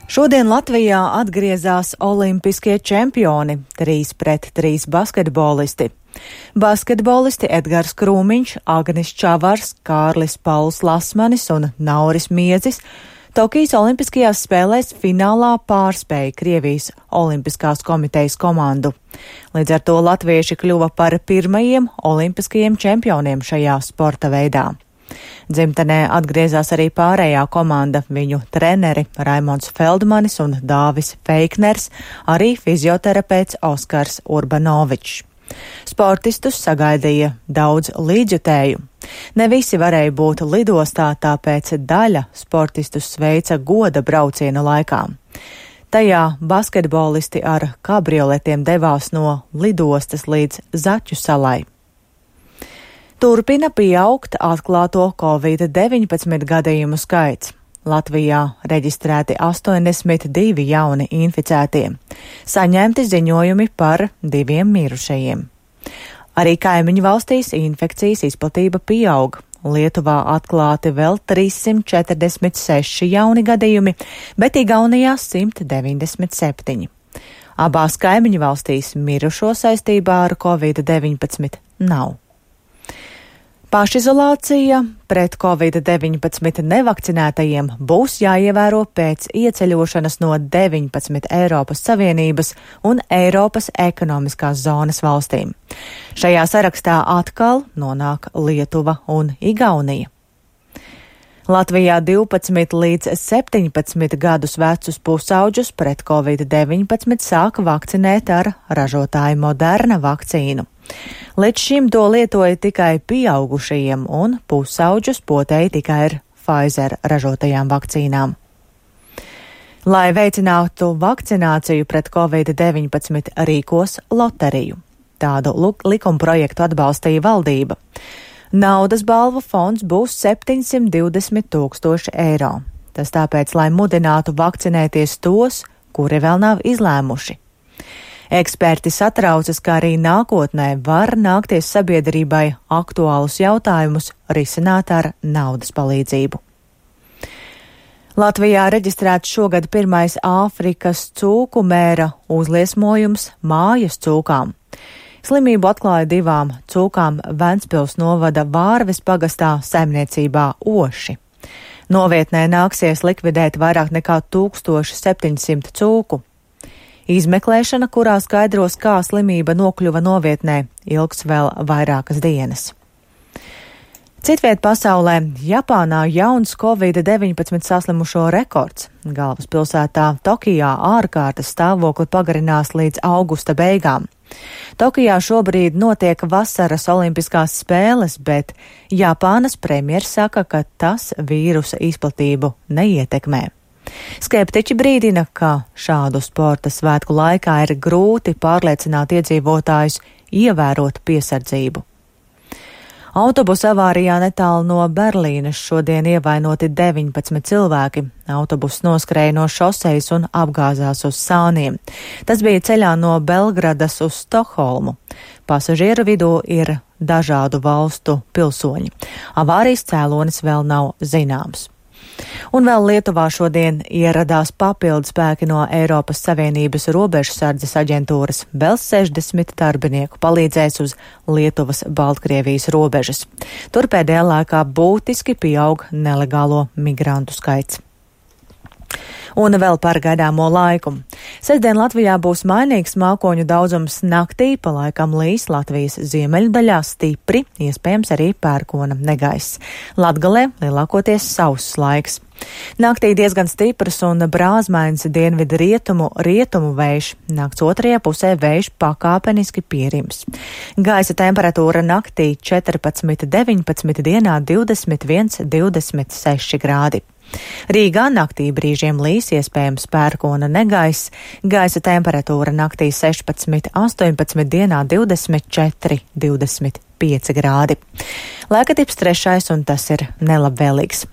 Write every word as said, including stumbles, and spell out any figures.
Šodien Latvijā atgriezās olimpiskie čempioni – trīs pret trīs basketbolisti. Basketbolisti Edgars Krūmiņš, Agnis Čavars, Kārlis Pauls Lasmanis un Nauris Miedzis Tokijas olimpiskajās spēlēs finālā pārspēja Krievijas olimpiskās komitejas komandu. Līdz ar to latvieši kļuva par pirmajiem olimpiskajiem čempioniem šajā sporta veidā. Dzimtenē atgriezās arī pārējā komanda, viņu treneri Raimonds Feldmanis un Dāvis Feikners, arī fizioterapeits Oskars Urbanovičs. Sportistus sagaidīja daudz līdzjutēju. Ne visi varēja būt lidostā, tāpēc daļa sportistus sveica goda brauciena laikā. Tajā basketbolisti ar kabrioletiem devās no lidostas līdz Zaķu salai. Turpina pieaugt atklāto covid deviņpadsmit gadījumu skaits. Latvijā reģistrēti astoņdesmit divi jauni inficētie. Saņemti ziņojumi par diviem mirušajiem. Arī kaimiņu valstīs infekcijas izplatība pieaug. Lietuvā atklāti vēl trīssimt četrdesmit seši jauni gadījumi, bet Igaunijā simt deviņdesmit septiņi. Abās kaimiņu valstīs mirušo saistībā ar covid deviņpadsmit nav. Pašizolācija pret covid deviņpadsmit nevakcinētajiem būs jāievēro pēc ieceļošanas no deviņpadsmit Eiropas Savienības un Eiropas ekonomiskās zonas valstīm. Šajā sarakstā atkal nonāk Lietuva un Igaunija. Latvijā divpadsmit līdz septiņpadsmit gadus vecus pusauģus pret covid deviņpadsmit sāka vakcinēt ar ražotāju Moderna vakcīnu. Līdz šim to lietoja tikai pieaugušajiem un pusauģus potēja tikai ar Pfizer ražotajām vakcīnām. Lai veicinātu vakcināciju pret covid deviņpadsmit rīkos loteriju. Tādu likumprojektu atbalstīja valdība. Naudas balvu fonds būs septiņsimt divdesmit tūkstoši eiro. Tas tāpēc, lai mudinātu vakcinēties tos, kuri vēl nav izlēmuši. Eksperti satraucas, ka arī nākotnē var nākties sabiedrībai aktuālus jautājumus risināt ar naudas palīdzību. Latvijā reģistrēts šogad pirmais Āfrikas cūku mēra uzliesmojums mājas cūkām. Slimību atklāja divām cūkām Ventspils novada Vārves pagastā saimniecībā Oši. Novietnē nāksies likvidēt vairāk nekā tūkstoš septiņsimt cūku. Izmeklēšana, kurā skaidros, kā slimība nokļuva novietnē, ilgs vēl vairākas dienas. Citviet pasaulē Japānā jauns covid deviņpadsmit saslimušo rekords. Galvaspilsētā Tokijā ārkārtas stāvokli pagarinās līdz augusta beigām. Tokijā šobrīd notiek vasaras olimpiskās spēles, bet Japānas premjers saka, ka tas vīrusa izplatību neietekmē. Skeptiķi brīdina, ka šādu sporta svētku laikā ir grūti pārliecināt iedzīvotājus ievērot piesardzību. Autobusa avārijā netālu no Berlīnes šodien ievainoti deviņpadsmit cilvēki. Autobuss noskrēja no šosejas un apgāzās uz sāniem. Tas bija ceļā no Belgradas uz Stokholmu. Pasažieru vidū ir dažādu valstu pilsoņi. Avārijas cēlonis vēl nav zināms. Un vēl Lietuvā šodien ieradās papildu spēki no Eiropas Savienības robežsardzes aģentūras. Vēl sešdesmit darbinieku palīdzēs uz Lietuvas-Baltkrievijas robežas. Tur pēdējā laikā būtiski pieaug nelegālo migrantu skaits. Un vēl par gaidāmo laiku. Sestdien Latvijā būs mainīgs mākoņu daudzums naktī, pa laikam līs Latvijas ziemeļu daļā stipri, iespējams arī pērkona negaiss. Latgalē lielākoties sauss laiks. Naktī diezgan stiprs un brāzmains dienvidu rietumu rietumu vējš. Nakts otrajā pusē vējš pakāpeniski pierims. Gaisa temperatūra naktī četrpadsmit deviņpadsmit, dienā divdesmit viens divdesmit seši grādi. Rīgā naktī brīžiem līs, iespējams pērkona negaiss, gaisa temperatūra naktī sešpadsmit astoņpadsmit, dienā divdesmit četri divdesmit pieci grādi. Laika tips trešais, un tas ir nelabvēlīgs.